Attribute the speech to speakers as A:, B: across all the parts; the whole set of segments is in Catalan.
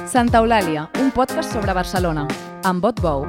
A: Santa Eulàlia, un podcast sobre Barcelona, amb Bot Bou.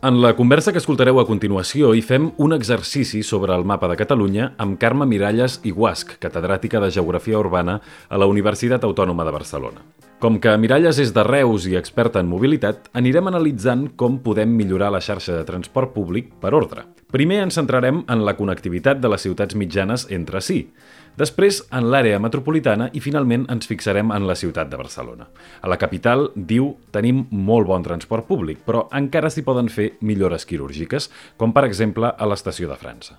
B: En la conversa que escoltareu a continuació hi fem un exercici sobre el mapa de Catalunya amb Carme Miralles i Guasch, catedràtica de Geografia Urbana a la Universitat Autònoma de Barcelona. Com que Miralles és de Reus i experta en mobilitat, anirem analitzant com podem millorar la xarxa de transport públic per ordre. Primer ens centrarem en la connectivitat de les ciutats mitjanes entre si, després en l'àrea metropolitana i finalment ens fixarem en la ciutat de Barcelona. A la capital, diu, tenim molt bon transport públic, però encara s'hi poden fer millores quirúrgiques, com per exemple a l'estació de França.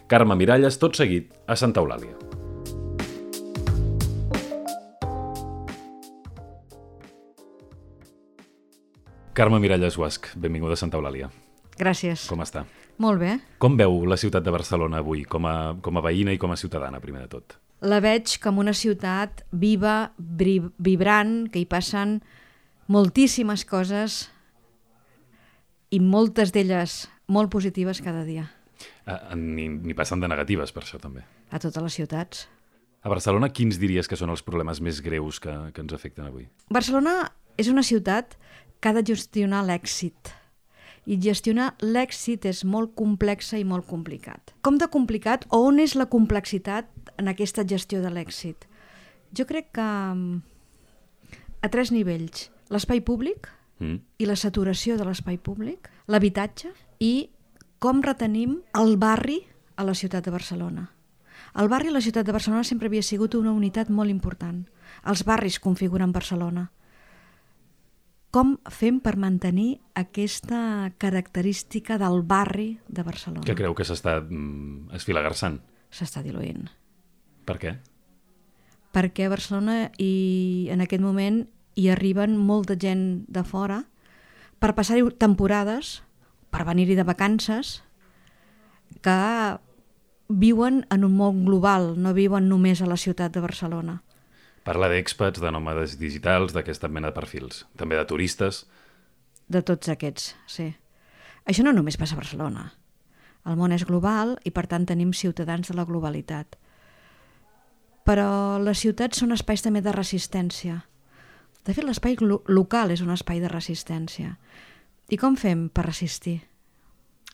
B: Carme Miralles, tot seguit, a Santa Eulàlia. Carme Miralles Guasch, benvinguda a Santa Eulàlia.
C: Gràcies.
B: Com està?
C: Molt bé.
B: Com veu la ciutat de Barcelona avui, com a veïna i com a ciutadana, primer de tot?
C: La veig com una ciutat viva, vibrant, que hi passen moltíssimes coses i moltes d'elles molt positives cada dia.
B: Ni passen de negatives, per això també.
C: A totes les ciutats.
B: A Barcelona, quins diries que són els problemes més greus que ens afecten avui?
C: Barcelona és una ciutat que ha de gestionar l'èxit. I gestionar l'èxit és molt complexa i molt complicat. Com de complicat o on és la complexitat en aquesta gestió de l'èxit? Jo crec que a 3 nivells. L'espai públic i la saturació de l'espai públic, l'habitatge i com retenim el barri a la ciutat de Barcelona. El barri a la ciutat de Barcelona sempre havia sigut una unitat molt important. Els barris configuren Barcelona. Com fem per mantenir aquesta característica del barri de Barcelona?
B: Que creu que s'està esfilagarsant?
C: S'està diluint.
B: Per què?
C: Perquè a Barcelona en aquest moment hi arriben molta gent de fora per passar-hi temporades, per venir-hi de vacances, que viuen en un món global, no viuen només a la ciutat de Barcelona.
B: Parla d'expats, de nòmades digitals, d'aquesta mena de perfils. També de turistes.
C: De tots aquests, sí. Això no només passa a Barcelona. El món és global i, per tant, tenim ciutadans de la globalitat. Però les ciutats són espais també de resistència. De fet, l'espai local és un espai de resistència. I com fem per resistir?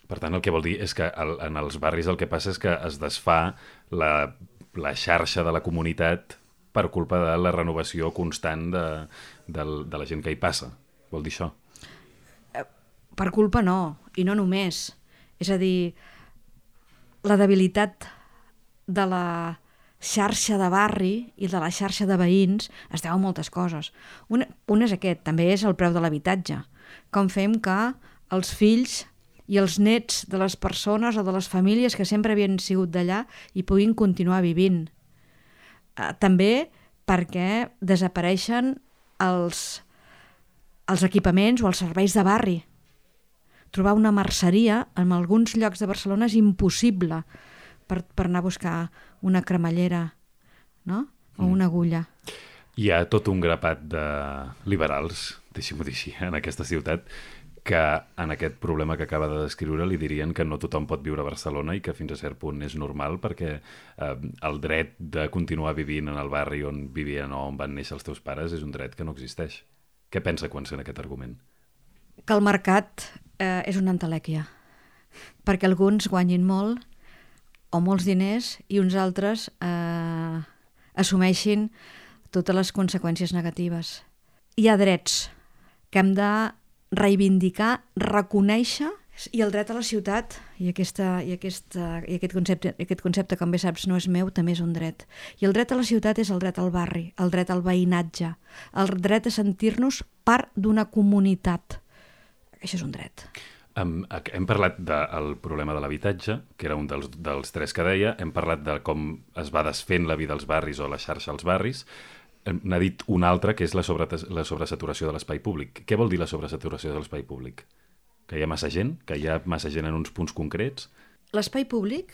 B: Per tant, el que vol dir és que en els barris el que passa és que es desfà la xarxa de la comunitat per culpa de la renovació constant de la gent que hi passa. Vol dir això?
C: Per culpa no, i no només. És a dir, la debilitat de la xarxa de barri i de la xarxa de veïns es deu a moltes coses. Un és aquest, també és el preu de l'habitatge. Com fem que els fills i els nets de les persones o de les famílies que sempre havien sigut d'allà hi puguin continuar vivint. També perquè desapareixen els equipaments o els serveis de barri. Trobar una merceria en alguns llocs de Barcelona és impossible per anar a buscar una cremallera, no? O una agulla.
B: Hi ha tot un grapat de liberals, deixi-m'ho dir així, en aquesta ciutat, que en aquest problema que acaba de descriure li dirien que no tothom pot viure a Barcelona i que fins a cert punt és normal perquè el dret de continuar vivint en el barri on vivien o on van néixer els teus pares és un dret que no existeix. Què pensa quan sent aquest argument?
C: Que el mercat és una entelèquia, perquè alguns guanyin molt o molts diners i uns altres assumeixin totes les conseqüències negatives. Hi ha drets que hem de reivindicar, reconèixer, i el dret a la ciutat, i aquest concepte, com bé saps, no és meu, també és un dret. I el dret a la ciutat és el dret al barri, el dret al veïnatge, el dret a sentir-nos part d'una comunitat. Això és un dret.
B: Hem parlat del problema de l'habitatge, que era un dels 3 que deia, hem parlat de com es va desfent la vida als barris o la xarxa als barris. N'ha dit un altre, que és la sobresaturació de l'espai públic. Què vol dir la sobresaturació de l'espai públic? Que hi ha massa gent? Que hi ha massa gent en uns punts concrets?
C: L'espai públic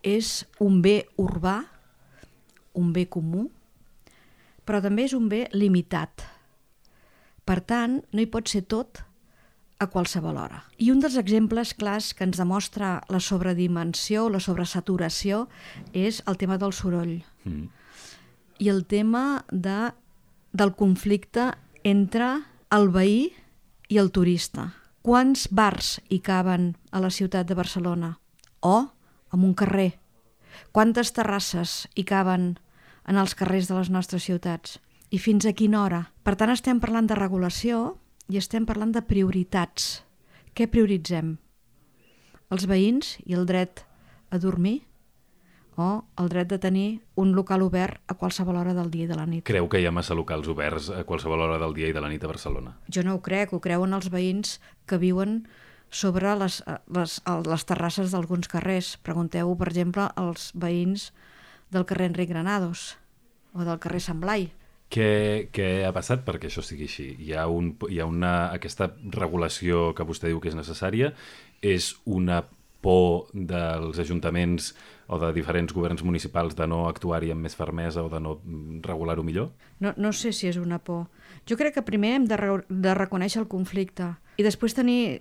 C: és un bé urbà, un bé comú, però també és un bé limitat. Per tant, no hi pot ser tot a qualsevol hora. I un dels exemples clars que ens demostra la sobredimensió, la sobresaturació, és el tema del soroll. i el tema del conflicte entre el veí i el turista. Quants bars hi caben a la ciutat de Barcelona? O en un carrer? Quantes terrasses hi caben en els carrers de les nostres ciutats? I fins a quina hora? Per tant, estem parlant de regulació i estem parlant de prioritats. Què prioritzem? Els veïns i el dret a dormir o el dret de tenir un local obert a qualsevol hora del dia i de la nit?
B: Creu que hi ha massa locals oberts a qualsevol hora del dia i de la nit a Barcelona?
C: Jo no ho crec, ho creuen els veïns que viuen sobre les terrasses d'alguns carrers. Pregunteu, per exemple, als veïns del carrer Enric Granados o del carrer Sant Blai.
B: Què ha passat perquè això sigui així? Aquesta regulació que vostè diu que és necessària és una por dels ajuntaments o de diferents governs municipals de no actuar-hi amb més fermesa o de no regular-ho millor?
C: No sé si és una por. Jo crec que primer hem de reconèixer el conflicte i després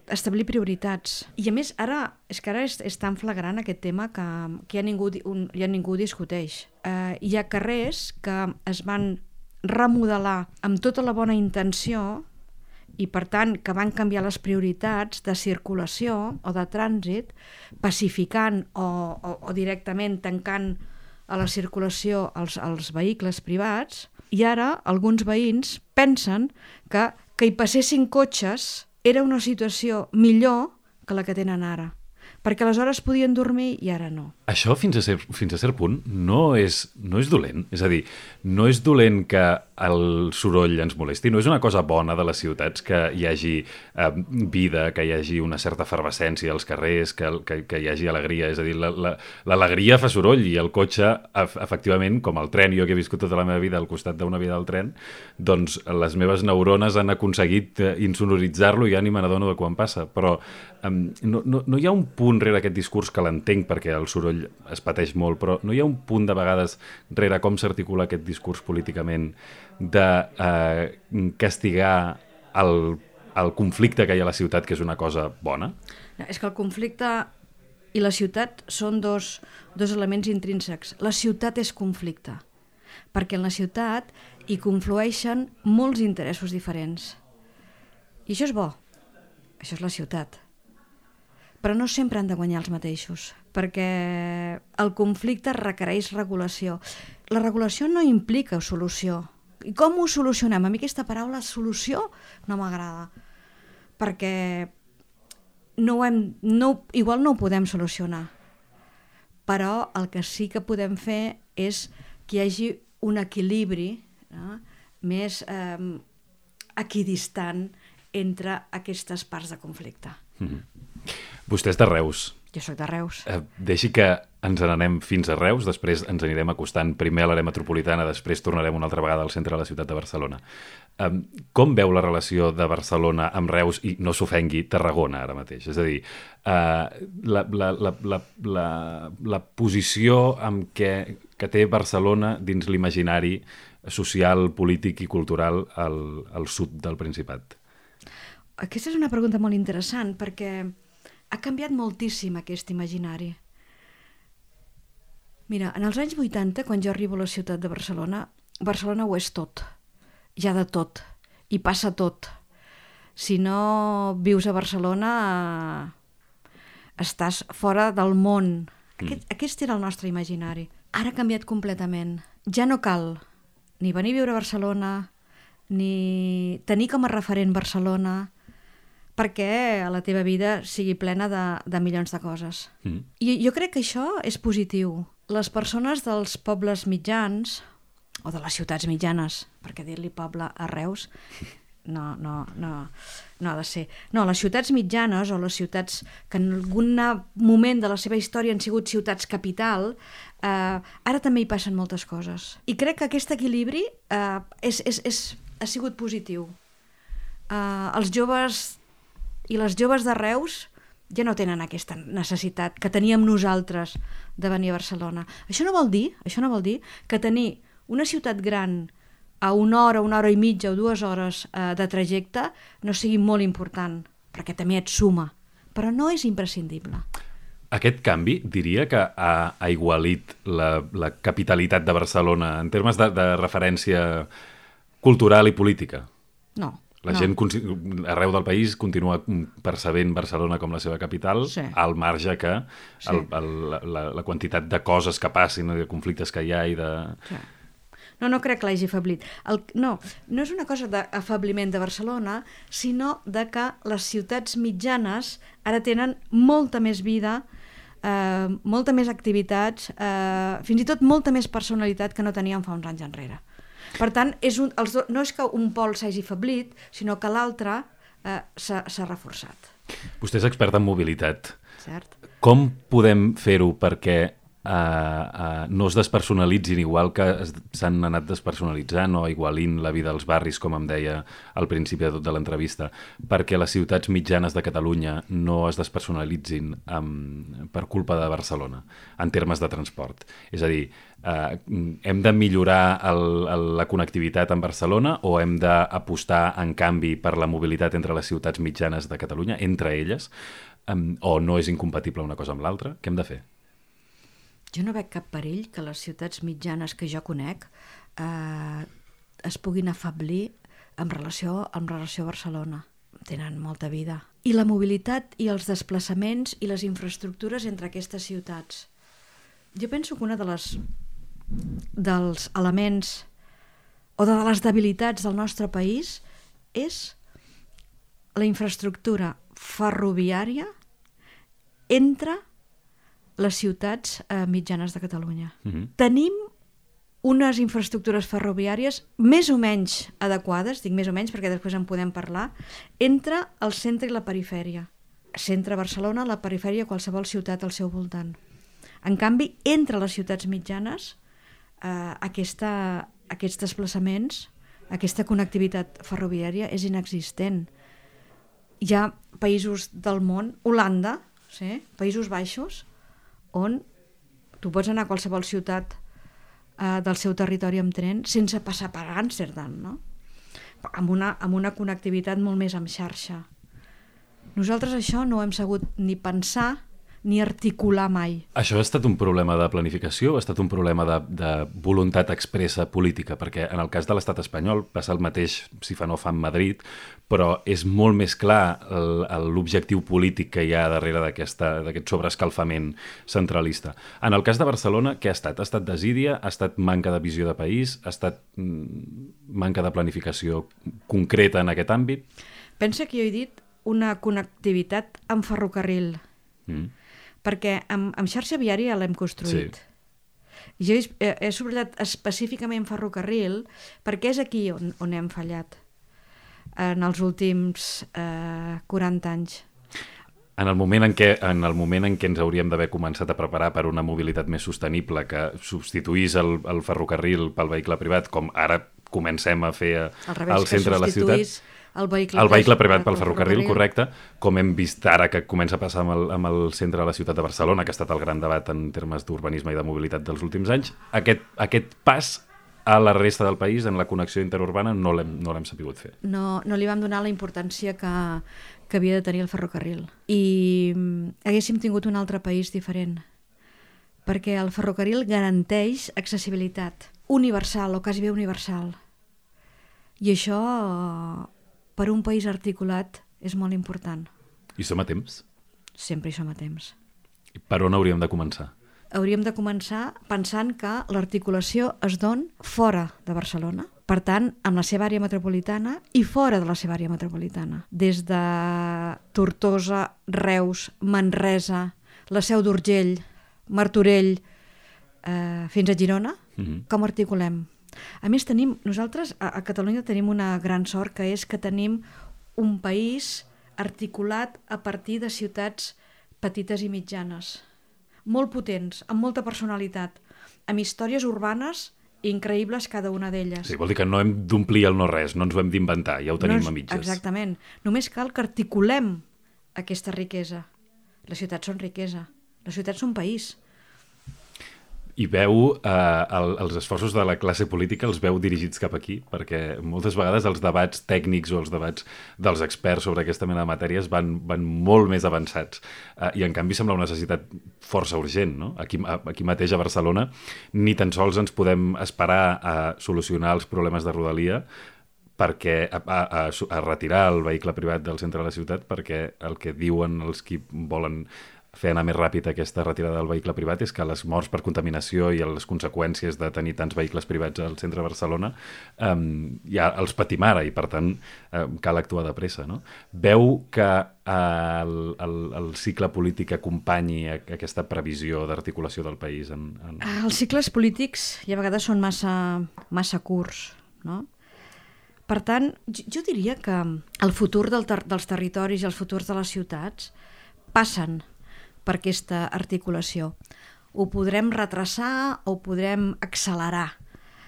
C: establir prioritats. I a més, ara és tan flagrant aquest tema que ja ningú ho discuteix. Hi ha carrers que es van remodelar amb tota la bona intenció i, per tant, que van canviar les prioritats de circulació o de trànsit, pacificant o directament tancant a la circulació els vehicles privats, i ara alguns veïns pensen que hi passessin cotxes era una situació millor que la que tenen ara, perquè aleshores podien dormir i ara no.
B: Això, fins a cert punt, no és dolent. És a dir, no és dolent que el soroll ens molesti. No és una cosa bona de les ciutats que hi hagi vida, que hi hagi una certa efervescència als carrers, que hi hagi alegria. És a dir, l'alegria fa soroll i el cotxe, efectivament, com el tren, jo que he viscut tota la meva vida al costat d'una via del tren, doncs les meves neurones han aconseguit insonoritzar-lo i ja ni me n'adono de quan passa. Però no hi ha un punt rere aquest discurs que l'entenc perquè el soroll es pateix molt, però no hi ha un punt de vegades rere com s'articula aquest discurs políticament de castigar el conflicte que hi ha a la ciutat, que és una cosa bona?
C: No, és que el conflicte i la ciutat són dos elements intrínsecs. La ciutat és conflicte, perquè en la ciutat hi conflueixen molts interessos diferents. I això és bo, això és la ciutat. Però no sempre han de guanyar els mateixos, perquè el conflicte requereix regulació. La regulació no implica solució. I com ho solucionem? A mi aquesta paraula solució no m'agrada, perquè igual no ho podem solucionar, però el que sí que podem fer és que hi hagi un equilibri més equidistant entre aquestes parts de conflicte.
B: Vostè és de Reus.
C: Jo soc de Reus.
B: Deixi que ens n'anem fins a Reus, després ens anirem acostant primer a l'àrea metropolitana, després tornarem una altra vegada al centre de la ciutat de Barcelona. Com veu la relació de Barcelona amb Reus i, no s'ofengui, Tarragona ara mateix? És a dir, la posició que té Barcelona dins l'imaginari social, polític i cultural al sud del Principat.
C: Aquesta és una pregunta molt interessant perquè ha canviat moltíssim aquest imaginari. Mira, en els anys 80, quan jo arribo a la ciutat de Barcelona, Barcelona ho és tot. Hi ha de tot. Hi passa tot. Si no vius a Barcelona, estàs fora del món. Aquest era el nostre imaginari. Ara ha canviat completament. Ja no cal ni venir a viure a Barcelona, ni tenir com a referent Barcelona, perquè a la teva vida sigui plena de milions de coses. I jo crec que això és positiu. Les persones dels pobles mitjans, o de les ciutats mitjanes, perquè dir-li poble a Reus no ha de ser. No, les ciutats mitjanes o les ciutats que en algun moment de la seva història han sigut ciutats capital, ara també hi passen moltes coses. I crec que aquest equilibri ha sigut positiu. Els joves i les joves de Reus ja no tenen aquesta necessitat que teníem nosaltres de venir a Barcelona. Això no vol dir que tenir una ciutat gran a una hora i mitja o 2 hores de trajecte no sigui molt important, perquè també et suma, però no és imprescindible.
B: Aquest canvi diria que ha aigualit la capitalitat de Barcelona en termes de referència cultural i política.
C: No.
B: La gent arreu del país continua percebent Barcelona com la seva capital,
C: Sí.
B: al marge que
C: Sí.
B: la quantitat de coses que passin, de conflictes que hi ha i de...
C: Sí. No crec que l'hagi afeblit. No és una cosa d'afabliment de Barcelona, sinó de que les ciutats mitjanes ara tenen molta més vida, molta més activitats, fins i tot molta més personalitat que no teníem fa uns anys enrere. Per tant, no és que un pol s'hagi afeblit, sinó que l'altre s'ha reforçat.
B: Vostè és expert en mobilitat.
C: Cert?
B: Com podem fer-ho perquè no es despersonalitzin igual que s'han anat despersonalitzant o igualint la vida als barris, com em deia al principi de tot de l'entrevista, perquè les ciutats mitjanes de Catalunya no es despersonalitzin per culpa de Barcelona, en termes de transport? És a dir, hem de millorar la connectivitat en Barcelona o hem d'apostar, en canvi, per la mobilitat entre les ciutats mitjanes de Catalunya, entre elles, o no és incompatible una cosa amb l'altra? Què hem de fer?
C: Jo no veig cap perill que les ciutats mitjanes que jo conec es puguin afeblir en relació a Barcelona. Tenen molta vida. I la mobilitat i els desplaçaments i les infraestructures entre aquestes ciutats. Jo penso que una dels elements o de les debilitats del nostre país és la infraestructura ferroviària entre les ciutats mitjanes de Catalunya. Tenim unes infraestructures ferroviàries més o menys adequades, dic més o menys perquè després en podem parlar, entre el centre i la perifèria. Centre Barcelona, la perifèria, qualsevol ciutat al seu voltant. En canvi, entre les ciutats mitjanes, aquests desplaçaments, aquesta connectivitat ferroviària és inexistent. Hi ha països del món, Holanda, sí, Països Baixos, on tu pots anar a qualsevol ciutat del seu territori amb tren sense passar per Amsterdam, no? Amb una connectivitat molt més amb xarxa. Nosaltres això no ho hem sabut ni pensar ni articular mai.
B: Això ha estat un problema de planificació, ha estat un problema de voluntat expressa política, perquè en el cas de l'estat espanyol passa el mateix si fa no fa en Madrid, però és molt més clar l'objectiu polític que hi ha darrere d'aquest sobreescalfament centralista. En el cas de Barcelona, què ha estat? Ha estat desídia, ha estat manca de visió de país, ha estat manca de planificació concreta en aquest àmbit?
C: Pensa que jo he dit una connectivitat amb ferrocarril, perquè amb xarxa viària l'hem construït. Sí. Jo he subratllat específicament ferrocarril perquè és aquí on hem fallat en els últims 40 anys.
B: En el moment en què ens hauríem d'haver començat a preparar per una mobilitat més sostenible que substituís el ferrocarril pel vehicle privat, com ara comencem a fer al centre de la ciutat, el vehicle privat pel ferrocarril, correcte, com hem vist ara que comença a passar amb el centre de la ciutat de Barcelona, que ha estat el gran debat en termes d'urbanisme i de mobilitat dels últims anys. Aquest pas a la resta del país, en la connexió interurbana, no l'hem sabut fer.
C: No li vam donar la importància que havia de tenir el ferrocarril. I haguéssim tingut un altre país diferent, perquè el ferrocarril garanteix accessibilitat universal o quasi bé universal. I això, per un país articulat, és molt important.
B: I som a temps?
C: Sempre hi som a temps.
B: I per on hauríem de començar?
C: Hauríem de començar pensant que l'articulació es don fora de Barcelona. Per tant, amb la seva àrea metropolitana i fora de la seva àrea metropolitana. Des de Tortosa, Reus, Manresa, la Seu d'Urgell, Martorell, fins a Girona, com articulem? A més, nosaltres a Catalunya tenim una gran sort, que és que tenim un país articulat a partir de ciutats petites i mitjanes, molt potents, amb molta personalitat, amb històries urbanes increïbles cada una d'elles.
B: Sí, vol dir que no hem d'omplir el no-res, no ens ho hem d'inventar, ja ho tenim a mitges.
C: Exactament. Només cal que articulem aquesta riquesa. Les ciutats són riquesa. Les ciutats són país.
B: I veu els esforços de la classe política els veu dirigits cap aquí, perquè moltes vegades els debats tècnics o els debats dels experts sobre aquesta mena de matèries van molt més avançats. I en canvi sembla una necessitat força urgent, no? Aquí mateix a Barcelona ni tan sols ens podem esperar a solucionar els problemes de Rodalia perquè a retirar el vehicle privat del centre de la ciutat, perquè el que diuen els qui volen fer anar més ràpid aquesta retirada del vehicle privat és que les morts per contaminació i les conseqüències de tenir tants vehicles privats al centre de Barcelona ja els patim ara i per tant cal actuar de pressa, no? Veu que el cicle polític acompanyi aquesta previsió d'articulació del país?
C: Els cicles polítics i a vegades són massa curts, no? Per tant, jo diria que el futur dels territoris i els futurs de les ciutats passen per aquesta articulació. Ho podrem retrasar o ho podrem accelerar,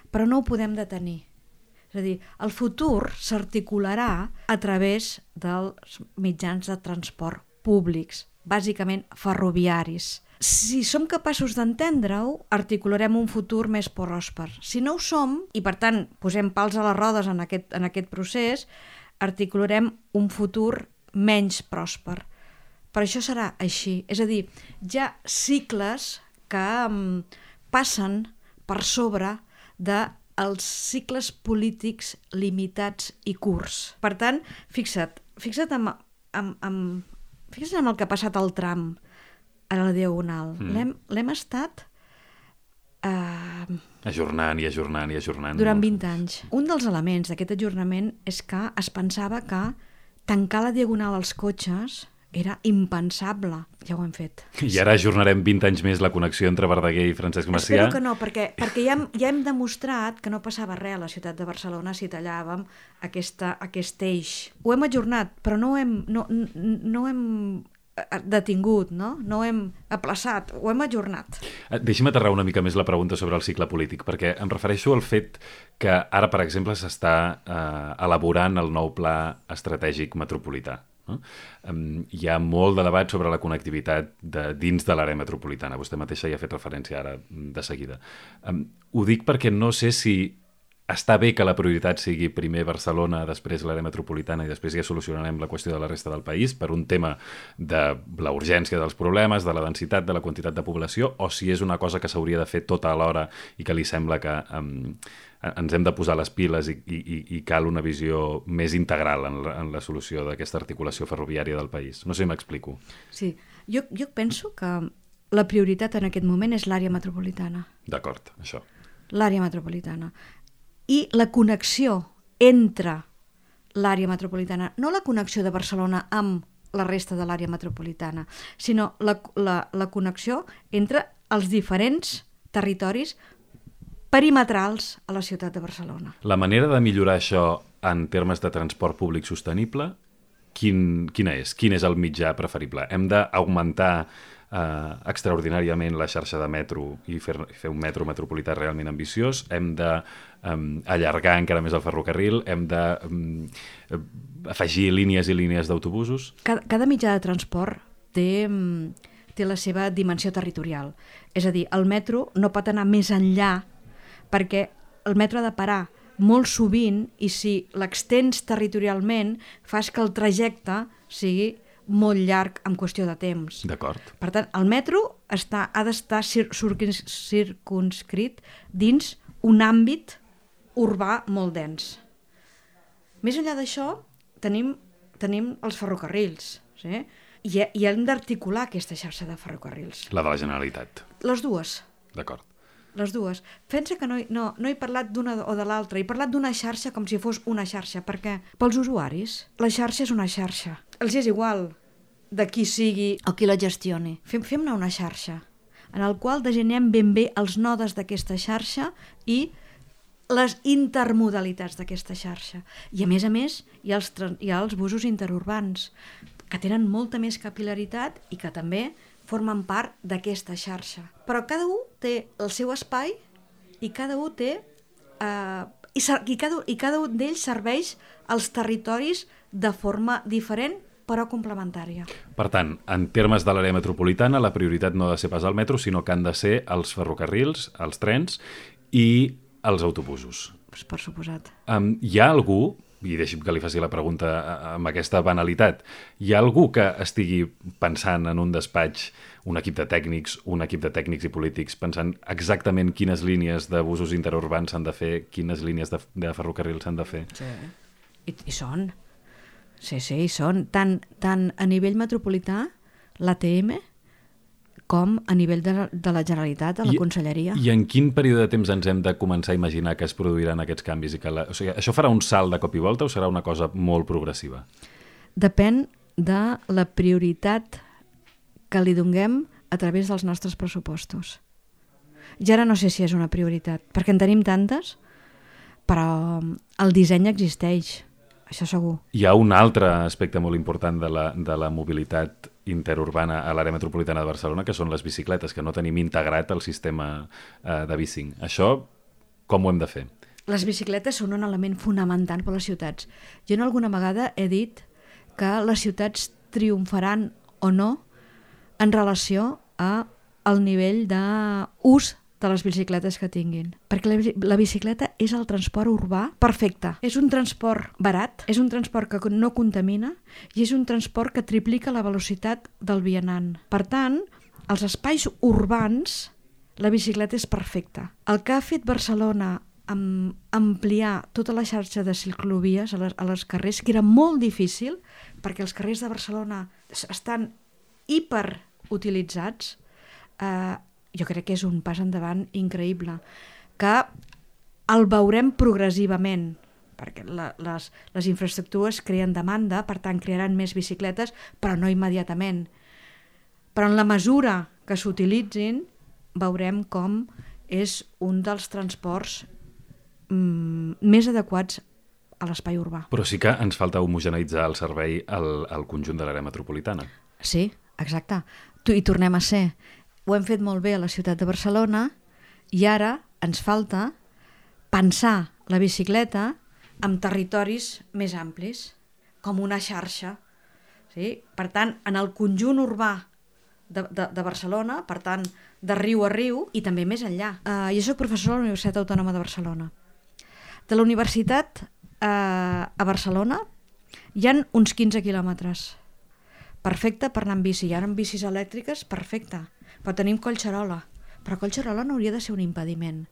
C: però no ho podem detenir. És a dir, el futur s'articularà a través dels mitjans de transport públics, bàsicament ferroviaris. Si som capaços d'entendre-ho, articularem un futur més pròsper. Si no ho som, i per tant posem pals a les rodes en aquest procés, articularem un futur menys pròsper. Per això serà així. És a dir, hi ha cicles que passen per sobre dels cicles polítics limitats i curts. Per tant, fixa't en el que ha passat al tram a la Diagonal. L'hem estat
B: ajornant
C: durant 20 anys. Un dels elements d'aquest ajornament és que es pensava que tancar la Diagonal als cotxes era impensable. Ja ho hem fet.
B: I ara ajornarem 20 anys més la connexió entre Verdaguer i Francesc Macià?
C: Espero que no, perquè ja hem demostrat que no passava res a la ciutat de Barcelona si tallàvem aquest eix. Ho hem ajornat, però no ho hem detingut, no ho hem aplaçat, ho hem ajornat.
B: Deixi'm aterrar una mica més la pregunta sobre el cicle polític, perquè em refereixo al fet que ara, per exemple, s'està elaborant el nou pla estratègic metropolità. No? Hi ha molt de debat sobre la connectivitat dins de l'àrea metropolitana. Vostè mateixa hi ha fet referència ara de seguida. Ho dic perquè no sé si està bé que la prioritat sigui primer Barcelona, després l'àrea metropolitana i després ja solucionarem la qüestió de la resta del país per un tema de la urgència dels problemes, de la densitat, de la quantitat de població, o si és una cosa que s'hauria de fer tota alhora i que li sembla que ens hem de posar les piles i cal una visió més integral en la solució d'aquesta articulació ferroviària del país. No sé si m'explico.
C: Sí, jo penso que la prioritat en aquest moment és l'àrea metropolitana.
B: D'acord, això.
C: L'àrea metropolitana. I la connexió entre l'àrea metropolitana, no la connexió de Barcelona amb la resta de l'àrea metropolitana, sinó la connexió entre els diferents territoris perimetrals a la ciutat de Barcelona.
B: La manera de millorar això en termes de transport públic sostenible, quina és? Quin és el mitjà preferible? Hem d'augmentar extraordinàriament la xarxa de metro i fer un metro metropolità realment ambiciós, hem d'allargar encara més el ferrocarril, hem d'afegir línies i línies d'autobusos.
C: Cada mitjà de transport té la seva dimensió territorial. És a dir, el metro no pot anar més enllà perquè el metro ha de parar molt sovint i si l'extens territorialment fas que el trajecte sigui molt llarg en qüestió de temps.
B: D'acord.
C: Per tant, el metro ha d'estar circunscrit dins un àmbit urbà molt dens. Més enllà d'això, tenim els ferrocarrils, sí? I hem d'articular aquesta xarxa de ferrocarrils.
B: La de la Generalitat.
C: Les dues.
B: D'acord.
C: Les dues. Pensa que no he parlat d'una o de l'altra, he parlat d'una xarxa com si fos una xarxa, perquè pels usuaris la xarxa és una xarxa. Els és igual de qui sigui o qui la gestioni. Fem-ne una xarxa en el qual designem ben bé els nodes d'aquesta xarxa i les intermodalitats d'aquesta xarxa. I a més, hi ha els busos interurbans, que tenen molta més capil·laritat i que també formen part d'aquesta xarxa. Però cada un té el seu espai i cada un té i cada un d'ells serveix als territoris de forma diferent però complementària.
B: Per tant, en termes de l'àrea metropolitana, la prioritat no ha de ser pas el metro, sinó que han de ser els ferrocarrils, els trens i els autobusos.
C: Pues per suposat.
B: Hi ha algú, i deixi'm que li faci la pregunta amb aquesta banalitat, hi ha algú que estigui pensant en un despatx, un equip de tècnics i polítics, pensant exactament quines línies de busos interurbans s'han de fer, quines línies de ferrocarril s'han de fer?
C: Sí. I són. Sí, hi són. Tant a nivell metropolità, l'ATM, com a nivell de la Generalitat, de la Conselleria.
B: I en quin període de temps ens hem de començar a imaginar que es produiran aquests canvis? O sigui, això farà un salt de cop i volta o serà una cosa molt progressiva?
C: Depèn de la prioritat que li donem a través dels nostres pressupostos. Ja ara no sé si és una prioritat, perquè en tenim tantes, però el disseny existeix, això segur.
B: Hi ha un altre aspecte molt important de la mobilitat interurbana a l'àrea metropolitana de Barcelona, que són les bicicletes, que no tenim integrat el sistema de bicing. Això, com ho hem de fer?
C: Les bicicletes són un element fonamental per a les ciutats. Jo alguna vegada he dit que les ciutats triomfaran o no en relació al nivell d'ús de les bicicletes que tinguin. Perquè la bicicleta és el transport urbà perfecte. És un transport barat, és un transport que no contamina i és un transport que triplica la velocitat del vianant. Per tant, als espais urbans la bicicleta és perfecta. El que ha fet Barcelona amb ampliar tota la xarxa de ciclovies a les carrers, que era molt difícil, perquè els carrers de Barcelona estan hiperutilitzats, jo crec que és un pas endavant increïble, que el veurem progressivament, perquè les infraestructures creen demanda, per tant crearan més bicicletes, però no immediatament. Però en la mesura que s'utilitzin, veurem com és un dels transports més adequats a l'espai urbà.
B: Però sí que ens falta homogeneïtzar el servei al conjunt de l'àrea metropolitana.
C: Sí, exacte. I tornem a ser. Ho hem fet molt bé a la ciutat de Barcelona i ara ens falta pensar la bicicleta en territoris més amplis, com una xarxa. Sí? Per tant, en el conjunt urbà de Barcelona, per tant, de riu a riu i també més enllà. Jo soc professora a la Universitat Autònoma de Barcelona. De la universitat a Barcelona hi ha uns 15 quilòmetres. Perfecte per anar amb bici. Hi ha bicis elèctriques, perfecte. Però tenim Collserola. Però Collserola no hauria de ser un impediment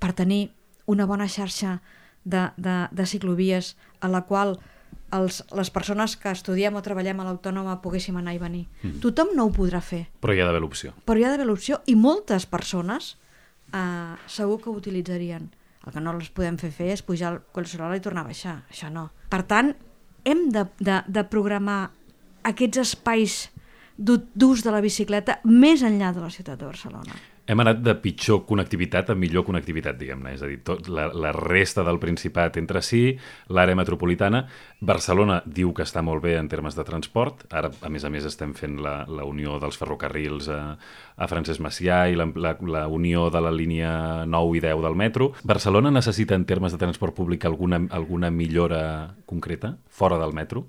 C: per tenir una bona xarxa de ciclovies a la qual les persones que estudiem o treballem a l'Autònoma poguéssim anar i venir. Tothom no ho podrà fer.
B: Però hi ha d'haver l'opció.
C: Però hi ha d'haver l'opció i moltes persones segur que ho utilitzarien. El que no les podem fer és pujar al Collserola i tornar a baixar. Això no. Per tant, hem de programar aquests espais d'ús de la bicicleta més enllà de la ciutat de Barcelona.
B: Hem anat de pitjor connectivitat a millor connectivitat, diguem-ne. És a dir, la resta del Principat entre si, l'àrea metropolitana. Barcelona diu que està molt bé en termes de transport. Ara, a més, estem fent la unió dels ferrocarrils a Francesc Macià i la unió de la línia 9 i 10 del metro. Barcelona necessita, en termes de transport públic, alguna millora concreta fora del metro?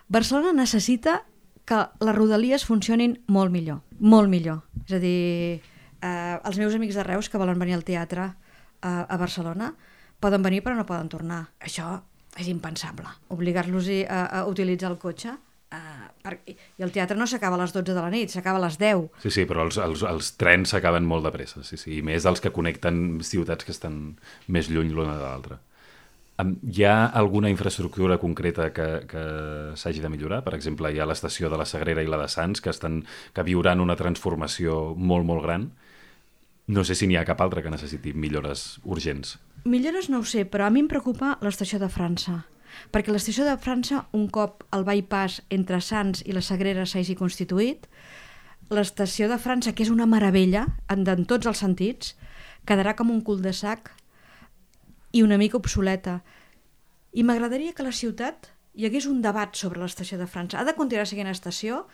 C: Barcelona necessita que les rodalies funcionin molt millor, molt millor. És a dir, els meus amics de Reus que volen venir al teatre a Barcelona poden venir però no poden tornar. Això és impensable. Obligar-los a utilitzar el cotxe i el teatre no s'acaba a les 12 de la nit, s'acaba a les 10.
B: Sí, però els trens s'acaben molt de pressa, sí, i més els que connecten ciutats que estan més lluny l'una de l'altra. Hi ha alguna infraestructura concreta que s'hagi de millorar? Per exemple, hi ha l'estació de la Sagrera i la de Sants que viuran una transformació molt, molt gran. No sé si n'hi ha cap altra que necessiti millores urgents.
C: Millores no ho sé, però a mi em preocupa l'estació de França. Perquè l'estació de França, un cop el bypass entre Sants i la Sagrera s'hagi constituït, l'estació de França, que és una meravella en tots els sentits, quedarà com un cul-de-sac i una mica obsoleta. I m'agradaria que a la ciutat hi hagués un debat sobre l'estació de França. Ha de continuar sent estació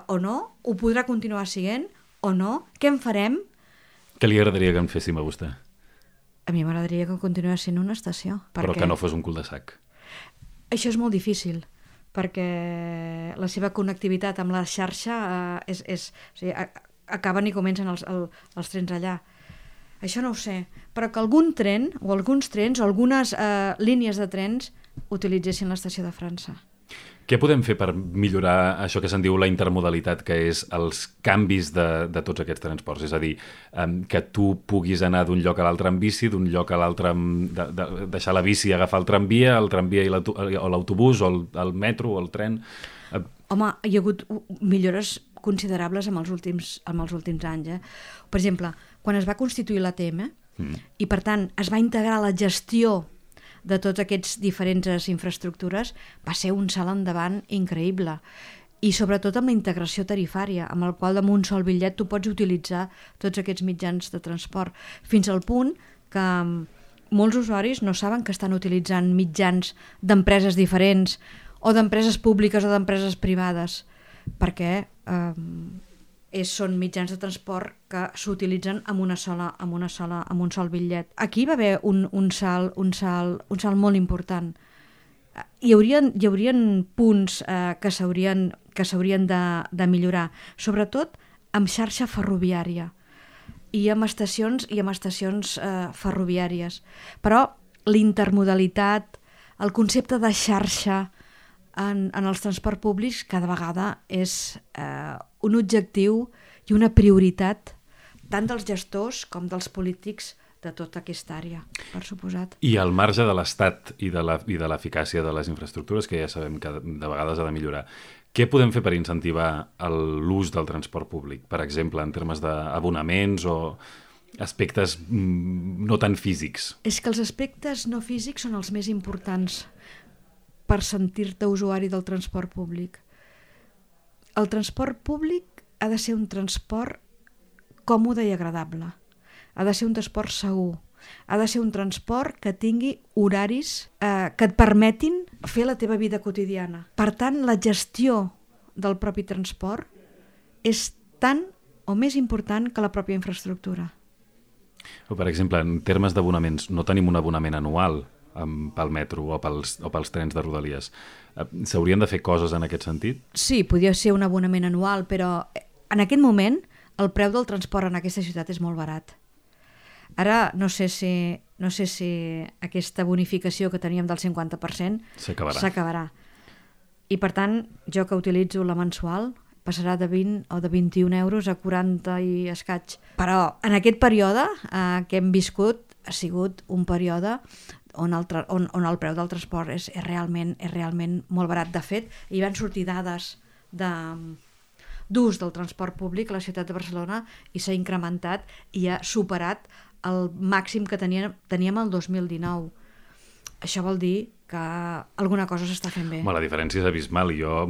C: o no? Ho podrà continuar sent o no? Què en farem?
B: Què li agradaria que en féssim a vostè?
C: A mi m'agradaria que continués sent una estació.
B: Però que no fos un cul-de-sac.
C: Això és molt difícil, perquè la seva connectivitat amb la xarxa o sigui, acaben i comencen els trens allà. Això no ho sé, però que algun tren o alguns trens o algunes línies de trens utilitzessin l'estació de França.
B: Què podem fer per millorar això que se'n diu la intermodalitat, que és els canvis de tots aquests transports? És a dir, que tu puguis anar d'un lloc a l'altre amb bici, d'un lloc a l'altre deixar la bici i agafar el tramvia o l'autobús o el metro o el tren.
C: Home, hi ha hagut millores considerables en els últims anys. Per exemple, quan es va constituir l'ATM i per tant es va integrar la gestió de tots aquests diferents infraestructures, va ser un salt endavant increïble. I sobretot amb la integració tarifària, amb el qual amb un sol bitllet tu pots utilitzar tots aquests mitjans de transport, fins al punt que molts usuaris no saben que estan utilitzant mitjans d'empreses diferents o d'empreses públiques o d'empreses privades, perquè són mitjans de transport que s'utilitzen amb un sol bitllet. Aquí va haver un salt molt important. Hi haurien punts que s'haurien de millorar, sobretot amb xarxa ferroviària i amb estacions ferroviàries. Però l'intermodalitat, el concepte de xarxa en els transports públics cada vegada és un objectiu i una prioritat tant dels gestors com dels polítics de tota aquesta àrea, per suposat.
B: I al marge de l'Estat i de l'eficàcia de les infraestructures, que ja sabem que de vegades ha de millorar, què podem fer per incentivar l'ús del transport públic? Per exemple, en termes d'abonaments o aspectes no tan físics?
C: És que els aspectes no físics són els més importants per sentir-te usuari del transport públic. El transport públic ha de ser un transport còmode i agradable. Ha de ser un transport segur. Ha de ser un transport que tingui horaris que et permetin fer la teva vida quotidiana. Per tant, la gestió del propi transport és tan o més important que la pròpia infraestructura.
B: O, per exemple, en termes d'abonaments, no tenim un abonament anual pel metro o pels trens de Rodalies. S'haurien de fer coses en aquest sentit?
C: Sí, podria ser un abonament anual, però en aquest moment el preu del transport en aquesta ciutat és molt barat. Ara no sé si aquesta bonificació que teníem del 50% s'acabarà. I per tant, jo que utilitzo la mensual passarà de 20 o de 21 euros a 40 i escaig. Però en aquest període que hem viscut ha sigut un període on el preu del transport és realment molt barat. De fet, hi van sortir dades d'ús del transport públic a la ciutat de Barcelona i s'ha incrementat i ha superat el màxim que teníem el 2019. Això vol dir que alguna cosa s'està fent bé.
B: La diferència és abismal. Jo,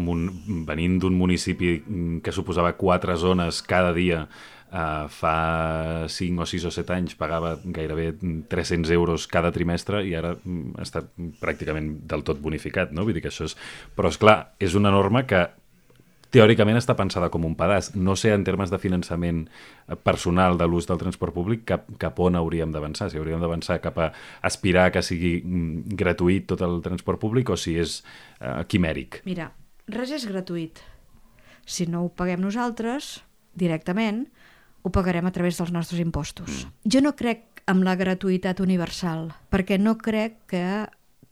B: venint d'un municipi que suposava 4 zones cada dia, fa 5 o 6 o 7 anys pagava gairebé 300 euros cada trimestre i ara està pràcticament del tot bonificat, no? Vull dir que això és... Però, esclar, és una norma que teòricament està pensada com un pedaç. No sé, en termes de finançament personal de l'ús del transport públic, cap on hauríem d'avançar. Si hauríem d'avançar cap a aspirar que sigui gratuït tot el transport públic o si és quimèric.
C: Mira, res és gratuït. Si no ho paguem nosaltres directament, ho pagarem a través dels nostres impostos. Jo no crec en la gratuïtat universal, perquè no crec que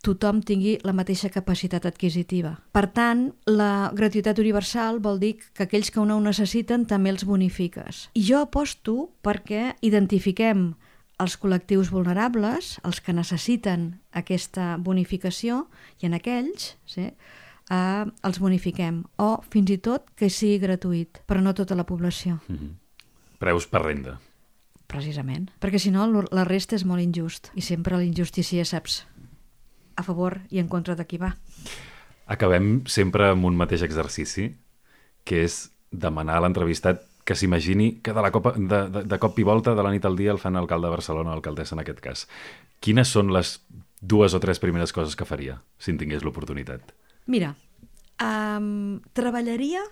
C: tothom tingui la mateixa capacitat adquisitiva. Per tant, la gratuïtat universal vol dir que aquells que no ho necessiten també els bonifiques. I jo aposto perquè identifiquem els col·lectius vulnerables, els que necessiten aquesta bonificació, i en aquells els bonifiquem. O fins i tot que sigui gratuït, però no tota la població.
B: Preus per renda.
C: Precisament. Perquè si no, la resta és molt injust. I sempre l'injustícia saps a favor i en contra de qui va.
B: Acabem sempre amb un mateix exercici, que és demanar a l'entrevistat que s'imagini que de cop i volta, de la nit al dia, el fan alcalde de Barcelona, alcaldessa en aquest cas. Quines són les 2 o 3 primeres coses que faria, si en tingués l'oportunitat?
C: Mira, treballaria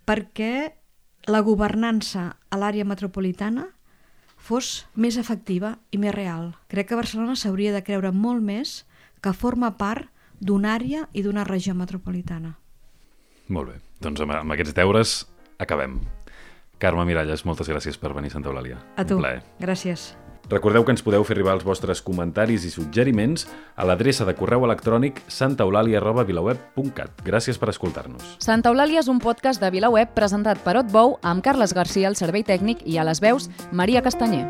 C: perquè la governança a l'àrea metropolitana fos més efectiva i més real. Crec que Barcelona s'hauria de creure molt més que forma part d'una àrea i d'una regió metropolitana.
B: Molt bé, doncs amb aquests deures acabem. Carme Miralles, moltes gràcies per venir a Santa Eulàlia.
C: A tu,
B: Un plaer.
C: gràcies.
B: Recordeu que ens podeu fer arribar els vostres comentaris i suggeriments a l'adreça de correu electrònic santaeulàlia@vilaweb.cat. Gràcies per escoltar-nos.
A: Santa Eulàlia és un podcast de VilaWeb presentat per Otbou amb Carles Garcia al servei tècnic i a les veus Maria Castanyer.